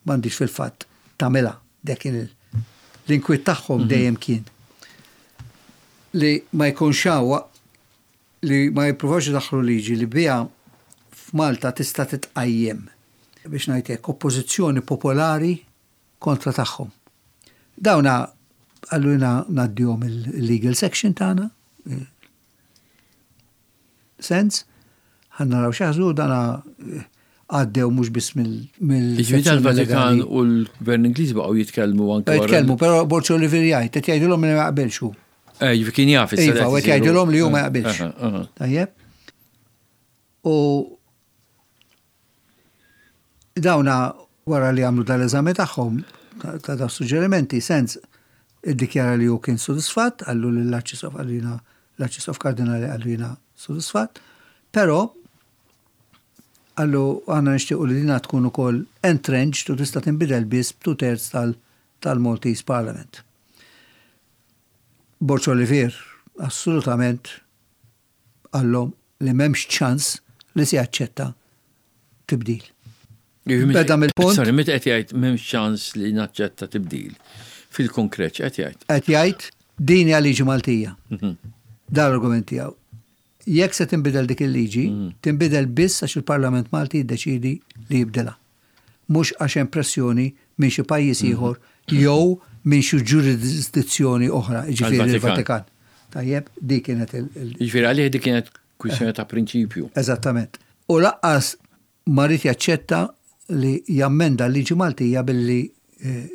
m'għandix fil-fatt tagħmilha. Dak kien l-inkwiet tagħhom mhm. dejjem kien li ma jkunx hawn li ma jippruvax idaħħlu liġi li biha f'Malta tista' titqajjem, biex ngħidlek, oppożizzjoni popolari kontra tagħhom. Dawna għalluna ngħaddihom il-legal section tagħna. Sens, ħa naraw x'jaħsbu. Dana għaddew mhux biss mill Ġifieri tal-Vatikan u l-Gvern Ingliż baqgħu jitkellmu anke. Jitkellmu, però Borg Olivier jgħid, qed jgħidulhom li ma jaqbilx hu. Eh, ġifieri kien jaf. Iva, qed jgħidulhom li hu ma jaqbilx. Tajjeb. U dawna wara li għamlu dal-eżami tagħhom ta' da suġġerimenti, Sens iddikjara li hu kien sodisfatt, qallu l-Arċisqof, għallina l-Arċisqof Kardinali, qallu jiena sodisfatt, però qallu aħna nixtiequ li dina tkun ukoll entrenched u tista' tinbidel biss two thirds tal-Maltese Parliament. Borg Olivier assolutament qallhom li m'hemmx ċans li se jaċċetta tibdil. Beda mill-punt. Sorry, meta qed jgħid m'hemmx ċans li naċċetta tibdil. Fil-konkret qed jgħid? Qed jgħid din hija liġi Maltija. Mhm. Dan l-argument tiegħu. Jekk se tinbidel dik il-liġi, mhm. tinbidel biss għax il-Parlament Malti jiddeċidi li jibdilha. Mhux għax hemm pressjoni minn xi pajjiż mhm. ieħor jew minn xi ġurisdizzjoni oħra, ġifieri il-Vatikan. Tajjeb, dik kienet il- Ġifieri għalih dik kienet kwistjoni ta' prinċipju. Eżattament. U lanqas ma ried jaċċetta li jammenda l-liġi Maltija billi eh,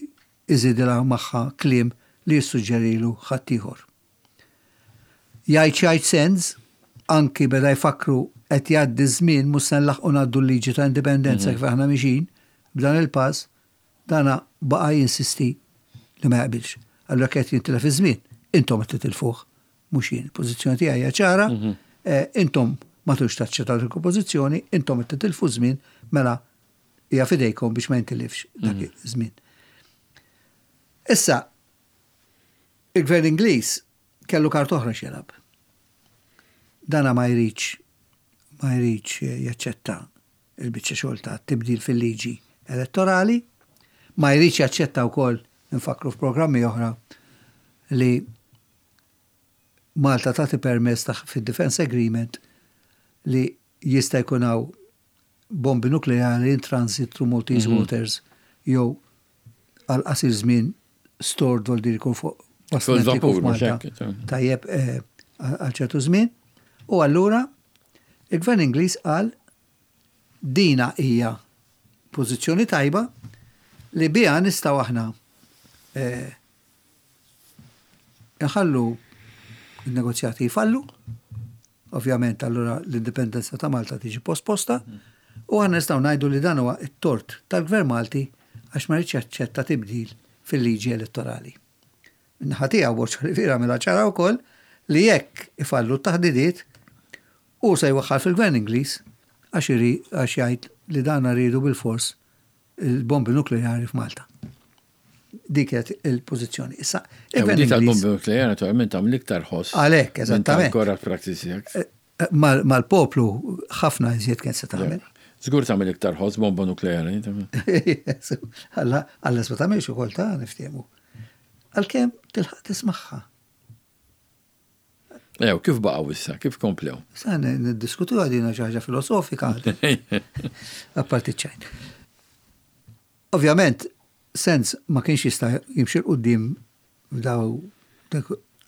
iżidilha magħha kliem li jissuġġerilu ħaddieħor. Jgħid x'jgħid Sands, anki beda jfakru qed jgħaddi żmien, mhux se nlaħqu ngħaddu l-liġi ta' indipendenza kif aħna mixin, b'dan il-pass, dana baqa' jinsisti li ma jaqbilx. Allura qed jintilef iż-żmien, intom qed titilfuh, mhux jien. Il-pożizzjoni tiegħi hija ċara, eh, intom ma tux taċċettaw il-pożizzjoni, intom qed titilfu żmien, mela hija fidejkom biex ma jintilifx dak iż-żmien. Issa, il-gvern Ingliż kellu kart oħra x'jilgħab. Dana ma jridx ma jridx jaċċetta il-biċċa xogħol ta' tibdil fil-liġi elettorali, ma jridx jaċċetta wkoll, nfakru f'programmi oħra, li Malta tagħti permess ta' fid-Defense Agreement li jista' jkun hawn bombi nukleari in transit through Maltese mm -hmm. waters jew għal qasir żmien stored, vol dir jkun fuq bastiment fuq Malta. Tajjeb, eh, għal ċertu żmien. U allura il-gvern Ingliż qal dina hija pożizzjoni tajba li biha nistgħu aħna eh, nħallu il-negozjati jfallu, ovvjament allura l-indipendenza ta' Malta tiġi posposta, u aħna nistgħu ngħidu li dan huwa it-tort tal-Gvern Malti għax ma rridx jaċċetta tibdil fil-liġi elettorali. Min-naħa tiegħu Borg Olivier għamilha ċara wkoll li jekk ifallu t-taħdidiet u se jwaħħal fil-Gvern Ingliż għax iri għax jgħid li dan rridu bil-fors il-bombi nukleari f'Malta. Dik kienet il-pożizzjoni. Issa, il-Gvern Ingliż tal-bombi nukleari naturalment għamel iktar ħoss. Għalhekk, eżattament. Corrupt Practices Act. Eh, eh, mal-poplu ħafna iżjed kien se tagħmel. Żgur tagħmel iktar ħoss bomba nukleari. Alla alla ma tagħmilx ukoll ta' niftehmu. Għalkemm tilħaq tismagħha. Ew, kif baqgħu issa, kif komplew? Sa niddiskutu għadina xi ħaġa filosofika. Apparti ċajt. Ovvjament, Sands ma kienx jista' jimxi 'l quddiem f'daw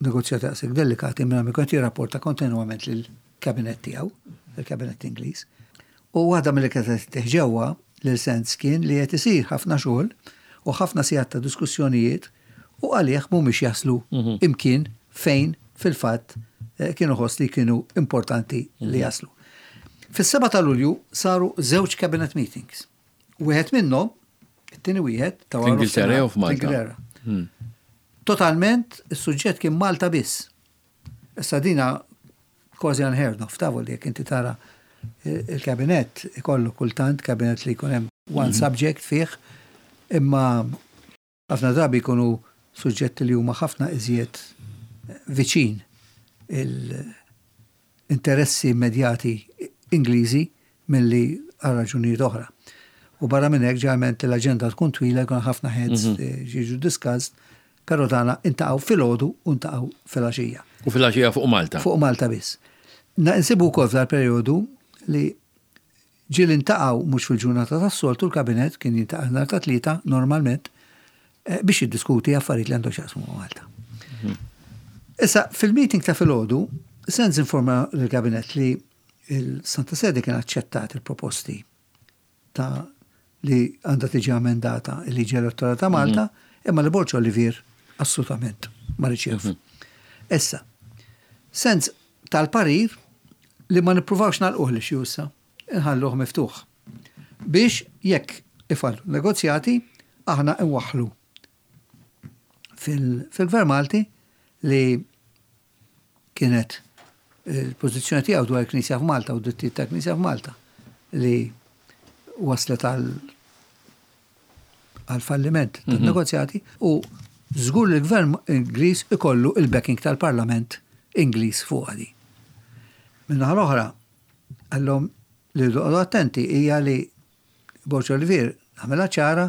negozjati daqshekk delikati minn ma kien jirrapporta kontinwament lill-kabinet tiegħu, il-kabinet Ingliż. U waħda mill kienet teħġewwa lil Sands kien li qed isir ħafna xogħol u ħafna sigħat ta' diskussjonijiet u għalih mhumiex jaslu mhm. imkien fejn fil-fatt eh, kienu ħoss li kienu importanti li mhm. jaslu. Fis-seba ta' Lulju saru żewġ cabinet meetings. Wieħed minnhom, it-tieni wieħed ta' Ingilterra jew f'Malta? Hmm. Totalment, is-suġġett kien Malta biss. Issa dina kważi unheard of, tavol li jekk inti tara il-kabinet ikollu kultant kabinet li jkun hemm one mhm. subject fih, imma ħafna drabi jkunu suġġetti li huma ħafna iżjed viċin l-interessi immedjati Ingliżi milli għal raġunijiet oħra. U barra minn hekk ġeneralment l-aġenda tkun twila, jkun ħafna heads mhm. eh, jiġu discussed, però dana iltaqgħu filgħodu u iltaqgħu filgħaxija. U filgħaxija fuq Malta? Fuq Malta biss. Nsibu wkoll f'dal-perjodu li ġieli iltaqgħu mhux fil-ġurnata tas-soltu, l-kabinet kien jiltaqa' nhar ta' Tlieta normalment eh, biex jiddiskuti affarijiet li għandu x'jaqsmu Malta. Mhm. Issa, fil-meeting ta' filgħodu, Sands informa l-kabinet li il-Santa Sede kien aċċettat il-proposti ta' li għandha tiġi amendata il-liġi elettorali ta' Malta, mhm. imma li Borg Olivier assolutament ma riċev. Mhm. Issa, Sands tal-parir li ma nippruvawx nagħlquh li issa, nħalluh miftuħ. Biex jekk ifallu negozjati, aħna nwaħħlu fil-Gvern Malti li kienet il-pożizzjoni tiegħu dwar il-Knisja f'Malta u drittijiet ta' Knisja f'Malta li waslet għal għal falliment mhm. tan-negozjati u żgur li l-Gvern Ingliż ikollu il-backing tal-Parlament Ingliż fuq għadi. Min-naħa l-oħra, għallhom li għadu attenti hija li Borg Olivier għamela ċara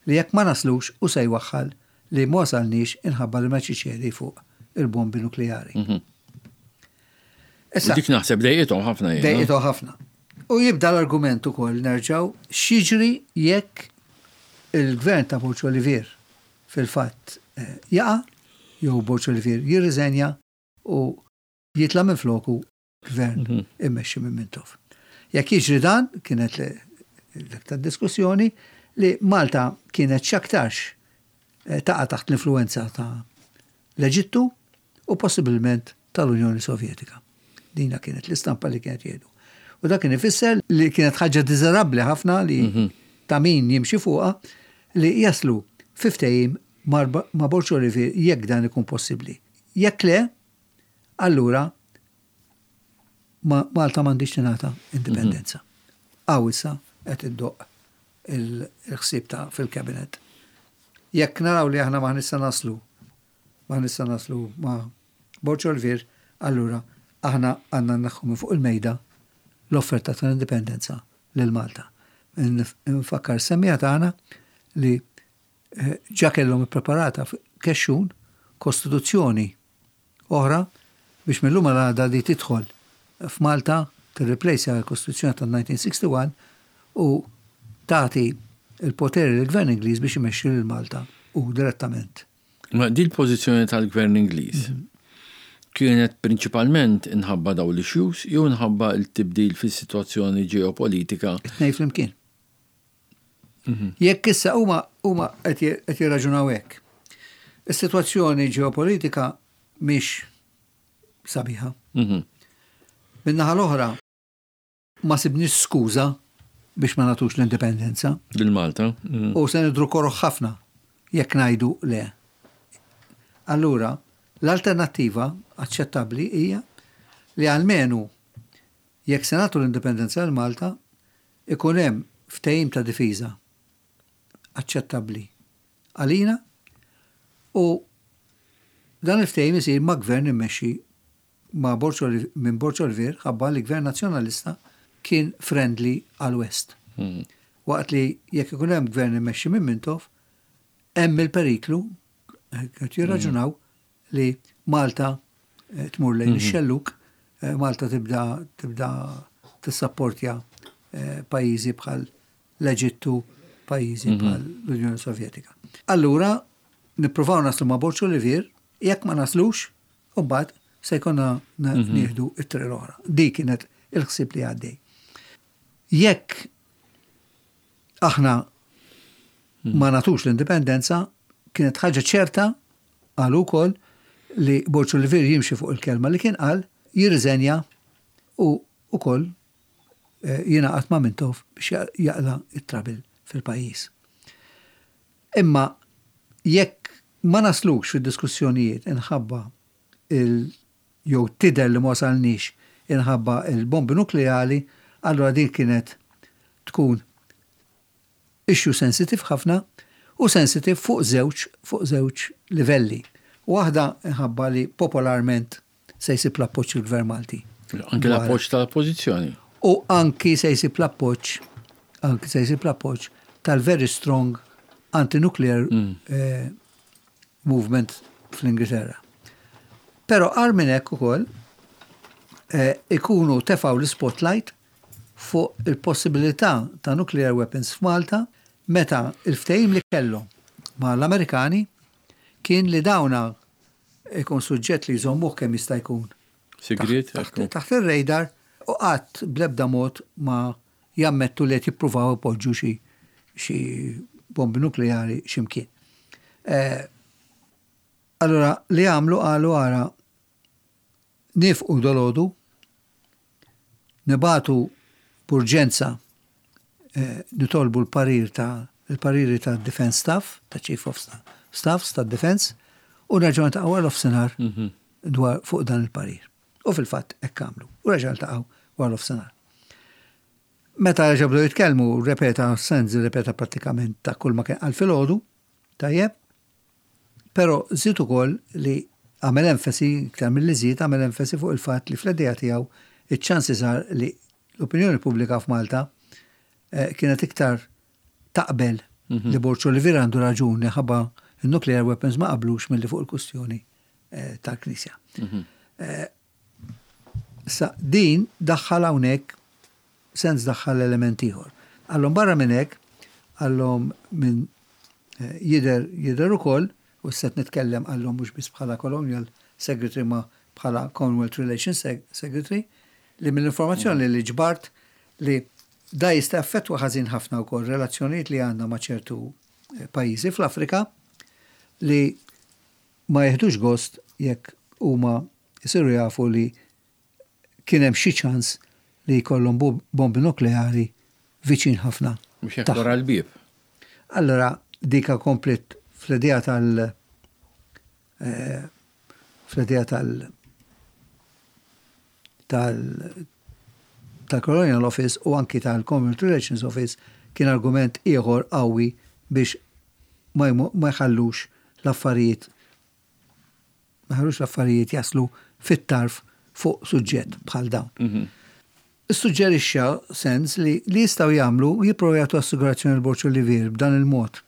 li jekk ma naslux u se jwaħħal li ma wasalniex inħabba li ma ċiċeri fuq il-bombi nukleari. Mhm. Issa, dik naħseb dejqithom ħafna. Dejqithom ħafna. U jibda l-argument ukoll nerġgħu x'jiġri jekk il-gvern ta' Borg Olivier fil-fatt eh, jaqa' jew Borg Olivier jirriżenja u jitla' minn floku gvern mhm. immexxi minn Mintoff. Jekk jiġri dan, kienet dak ta' diskussjoni li Malta kienet x'aktarx eh, taqa' taħt l-influenza ta' l-Eġittu u possibilment tal-Unjoni Sovjetika. Dina kienet l-istampa li kienet jgħidu. U dak kien ifisser li kienet ħaġa diżerabbli ħafna li mhm. ta' min jimxi fuqha li jaslu fi ftehim ma' Borg Olivier jekk dan ikun possibbli. Jekk le, allura Malta m'għandix tingħata indipendenza. Hawn issa qed iddoqq il-ħsieb ta' fil-kabinet. Jekk naraw li aħna ma nista' naslu, ma nista' naslu ma' Borg Olivier, allura aħna għandna nneħħu minn fuq il-mejda l-offerta tal-indipendenza lil Malta. Nfakkar semmiegħa tagħna li eh, ġa kellhom ippreparata kexxun kostituzzjoni oħra biex mill-lum għada li tidħol f'Malta tirreplace l-Kostituzzjoni tal-elf disa' mija u wieħed u sittin u tagħti il-poteri l-Gvern Ingliż biex imexxi lil Malta u direttament. Ma di l-pożizzjoni tal-Gvern Ingliż kienet prinċipalment inħabba daw l-issues jew inħabba il-tibdil fis-sitwazzjoni ġeopolitika? It-tnejn flimkien. Mhm. Jekk issa huma huma qed jirraġunaw hekk. Is-sitwazzjoni ġeopolitika mhix sabiħa. Mhm. Min-naħa l-oħra ma sibniex skuża biex ma nagħtux l-indipendenza. Lil Malta. Mm. U se nidhru koroh ħafna jekk ngħidu le. Allura, l-alternattiva aċċettabbli hija li almenu jekk se nagħtu l-indipendenza lil Malta ikun hemm ftehim ta' difiża aċċettabbli għalina u dan il-ftehim isir ma' gvern immexxi ma' minn Borg Olivier, ħabba li gvern nazzjonalista kien friendly għal-West. Hmm. Waqt li jekk ikun hemm gvern immexxi minn Mintoff, hemm il-periklu, qed jirraġunaw, li Malta eh, tmur lejn mhm. ix-xelluk, eh, Malta tibda tibda tissapportja eh, pajjiżi bħal l-Eġittu, pajjiżi mhm. bħal l-Unjoni Sovjetika. Allura, nippruvaw naslu ma' Borg Olivier, jekk ma naslux, u mbagħad se jkollna mhm. nieħdu it-triq l-oħra. Di kienet il-ħsieb li għaddej. Jekk aħna ma nagħtux l-indipendenza, kienet ħaġa ċerta għal ukoll li Borg Olivier jimxi fuq il-kelma li kien qal, jirriżenja u ukoll eh, jingħaqad ma' Mintoff biex jaqla it-trouble fil-pajjiż. Imma jekk ma naslux fid-diskussjonijiet inħabba il jew tidher li ma wasalniex inħabba il-bombi nukleali, allura din kienet tkun issue sensitive ħafna u sensitive fuq żewġ fuq żewġ livelli. Waħda inħabba li popolarment se jsib l-appoġġ il-Gvern Malti. Anke l-appoġġ tal-oppożizzjoni. U anki se jsib l-appoġġ anki se jsib l-appoġġ tal-very strong anti-nuclear mm. eh, movement fl-Ingilterra. Pero agħar minn hekk ukoll eh, ikunu tefaw l-spotlight fuq il-possibilità ta' nuclear weapons f'Malta meta il-ftehim li kellhom ma' l-Amerikani kien li dawna ikun suġġett li jżommuh kemm jista' jkun Sigriet? taħt ir-radar u qatt bl-ebda mod ma jammettu li qed jippruvaw ipoġġu xi xi bombi nukleari x'imkien. Eh, allora li għamlu, qalu, ara, nieqfu dalgħodu, nibagħtu b'urġenza eh, nitolbu l-parir ta' il-pariri ta' Defense Staff, ta' Chief of Staffs ta' Defense, u nerġgħu niltaqgħu wara nofsinhar mhm. dwar fuq dan il-parir. U fil-fatt hekk għamlu. U reġgħu ltaqgħu wara nofsinhar. Meta reġgħu bdew jitkellmu, repeta Sands, repeta prattikament ta' kull ma kien qal filgħodu, tajjeb, però żied ukoll li għamel enfasi, iktar mill-li żied, għamel enfasi fuq il-fatt li fl-idea tiegħu iċ-ċansi sar li l-opinjoni pubblika f'Malta eh, kienet iktar taqbel mhm. li Borg Olivier għandu raġun ħabba il-nuclear weapons ma qablux mill-li fuq il-kustjoni eh, tal-Knisja. Mhm. Eh, sa din daħħal hawnhekk sens daħħal element ieħor. Qallhom barra minn hekk, qallhom minn jidher jidher ukoll, u set nitkellem, qallhom, mhux biss bħala Colonial Secretary ma bħala Commonwealth Relations Secretary, li mill-informazzjoni li ġbart li da jista' affettwa ħażin ħafna wkoll relazzjonijiet li għandna ma' ċertu eh, pajjiżi fl-Afrika li ma jeħdux gost jekk huma Isiru jafu li kien hemm xi ċans li jkollhom bombi nukleari viċin ħafna. Mhux hekk wara l-bieb. Allora dika komplet fl-idea tal eh, fl-idea tal tal tal-Colonial Office u anki tal-Commonwealth Relations Office kien argument ieħor qawwi biex ma jħallux l-affarijiet ma jħallux l-affarijiet jaslu fit-tarf fuq suġġett bħal dawn. Mhm. Issuġġerixxa Sands li li jistgħu jagħmlu jipprovaw jagħtu assigurazzjoni lil Borg Olivier b'dan il-mod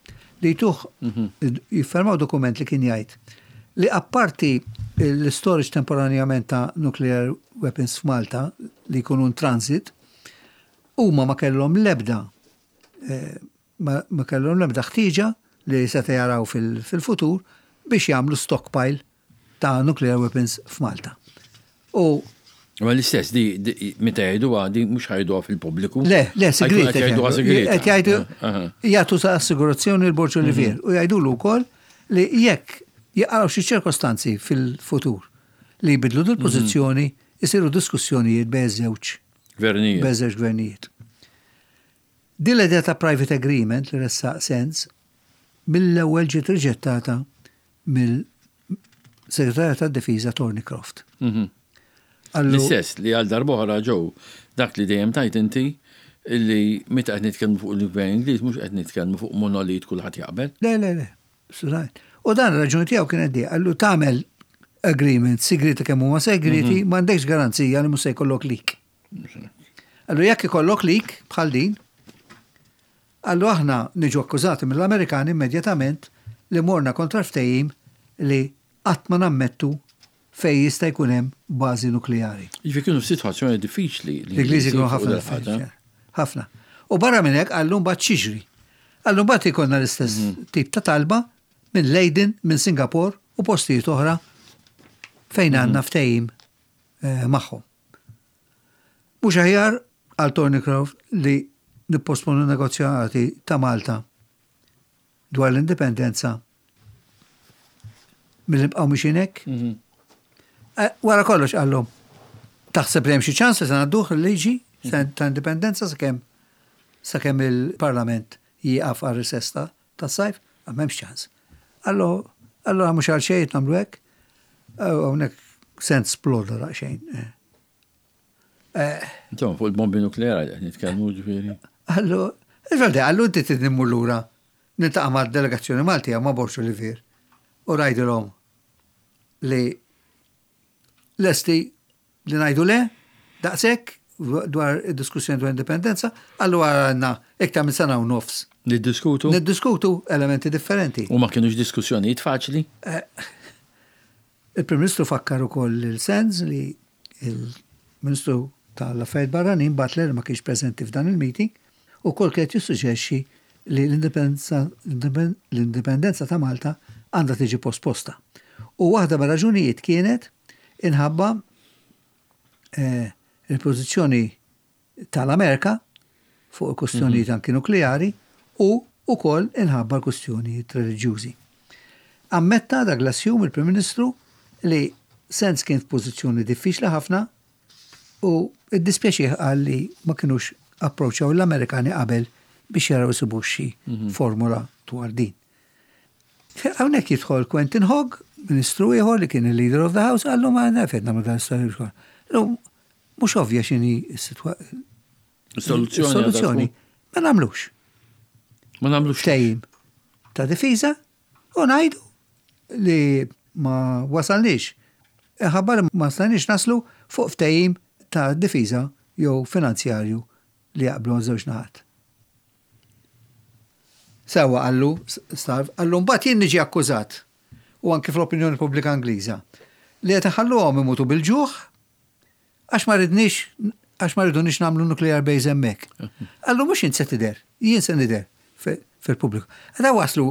li jtuh mhm. jiffirmaw dokument li kien jgħid li apparti l-storage temporanjament ta' nuclear weapons f'Malta li jkunu in transit, huma ma kellhom lebda eh, ma kellhom lebda ħtieġa li seta' jaraw fil-futur biex jagħmlu stockpile ta' nuclear weapons f'Malta. U Ma l-istess, di, meta jgħiduha, di mhux ħajduha fil-pubbliku. Le, le, sigriet. Jgħiduha sigriet. Qed jgħidu jagħtu sa assigurazzjoni lil Borg Olivier mhm. u jgħidulu wkoll li jekk jaqgħu xi ċirkostanzi fil-futur li jbidlu dil pożizzjoni jisiru diskussjonijiet bejn żewġ gvernijiet. Bejn żewġ gvernijiet. Din l-idea ta' private agreement li ressaq Sands mill-ewwel ġiet riġettata mill-Segretarju tad-Difiża Thornycroft. Mhm. L-istess li għal darb'oħra ġew dak li dejjem tajt inti illi meta qed nitkellmu fuq il-gvern Ingliż mhux qed nitkellmu fuq monolit kulħadd jaqbel. Le, le, le. U dan raġuni tiegħu kienet di, qallu tagħmel agreement sigriti kemm huma segreti, mhm. m'għandekx garanzija li mhux se jkollok leak. Qallu jekk ikollok leak bħal din, qallu aħna niġu akkużati mill-Amerikani immedjatament li morna kontra ftehim li qatt ma nammettu fej jista' jkun hemm bażi nukleari. Jiġifieri kienu f'sitwazzjoni diffiċli. L-Ingliżi kienu ħafna ħafna. U barra minn hekk qallu mbagħad x'jiġri. Qallu mbagħad ikollna l-istess mhm. tip ta' talba minn Leiden, minn Singapore u postijiet oħra fejn mhm. għandna ftehim eh, magħhom. Mhux aħjar għal Thornycroft li nipposponu negozjati ta' Malta dwar l-indipendenza milli nibqgħu mexjin hekk? Mhm. Eh, wara kollox qallhom, taħseb li hemm xi ċans li se ngħadduh il-liġi ta' indipendenza sakemm sakemm il-Parlament jieqaf għal recess tas-sajf? Ah, m'hemmx ċans. Qallu, allura mhux għal xejn nagħmlu hekk. Hawnhekk Sands sploda daqsxejn. Eh. Insomma, fuq il-bombi nukleari qed nitkellmu ġifieri. Qallu, il-verdi, qallu inti trid immur lura niltaqa' ma' delegazzjoni Maltija ma' Borg Olivier u ngħidilhom li lesti li ngħidu le, daqshekk dwar id-diskussjoni dwar indipendenza, allura għandna iktar minn sena u nofs. Niddiskutu? Niddiskutu elementi differenti. U ma kienux diskussjonijiet faċli? Eh, il-Prim Ministru fakkar ukoll lil Sands li il-Ministru tal-Affarijiet Barranin Butler ma kienx preżenti f'dan il-meeting u kol kienet jissuġġerixxi li l-indipendenza ta' Malta għandha tiġi posposta. U waħda mir-raġunijiet kienet inħabba eh, il-pożizzjoni tal-Amerika fuq il-kustjonijiet mhm. anki nukleari u ukoll inħabba l-kustjonijiet reliġjużi. Ammetta Douglas Hume, il-Prim Ministru, li Sands kien f'pożizzjoni diffiċli ħafna u iddispjaċih qal li ma kienux approċċjaw l-Amerikani qabel biex jaraw isibu xi mhm. formula dwar din. Hawnhekk jidħol Quentin Hogg, ministru ieħor li kien il-leader of the house, qallu ma nafet nagħmlu dan l-istorja. Mhux ovvja x'inhi s-soluzzjoni. Soluzzjoni. Ma nagħmlux. Ma nagħmlux. Ftehim ta' difiża u ngħidu li ma wasalniex. Ħabbar ma stajniex naslu fuq ftehim ta' difiża jew finanzjarju li jaqblu żewġ naħat. Sewa qallu, starv, qallu mbagħad jien niġi akkużat u anke fl-opinjoni pubblika Ingliża li qed iħalluhom imutu bil-ġuħ għax ma ridniex għax ma ridunix nagħmlu nuclear base hemmhekk. Qallu mhux int se tidher, jien se nidher fil-pubbliku. Għada waslu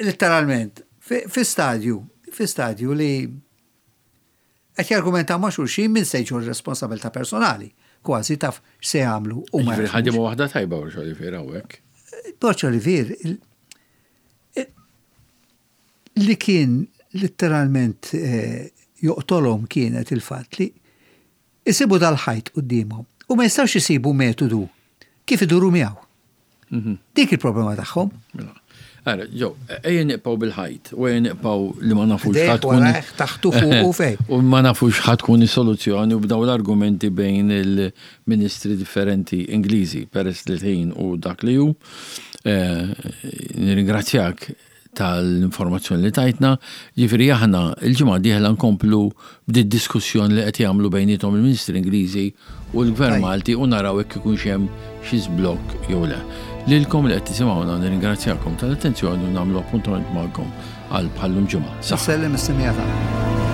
letteralment fi stadju, fi stadju li qed jargumentaw ma' xulxin min se jġorr responsabilità personali, kważi taf x'se jagħmlu u ma. Ħadimu waħda tajba Borg Olivier hawnhekk. Borg Olivier li kien letteralment eh, Joqtolhom kienet il-fatt li isibu dal-ħajt quddiemhom u ma jistgħux isibu metodu kif iduru miegħu. Mhm. Dik il-problema tagħhom. Mela. Ara, ġo, ejja nibqgħu bil-ħajt, u ejja nibqgħu li ma nafux ħa tkun. Taħtu fuq u fej. U ma nafux ħa tkun is-soluzzjoni u b'daw l-argumenti bejn il-ministri differenti Ingliżi, peress li l-ħin u dak li hu. Eh, nirringrazzjak tal-informazzjoni li tajtna, ġifieri aħna il-ġimgħa dieħla nkomplu b'di diskussjoni li qed jagħmlu bejniethom il-Ministri Ingliżi u l-Gvern Malti u naraw jekk ikunx hemm xi żblokk jew le. Lilkom li qed tisimgħuna nirringrazzjakom tal-attenzjoni u nagħmlu appuntament magħkom għal bħallum ġimgħa. Sellem is-semija.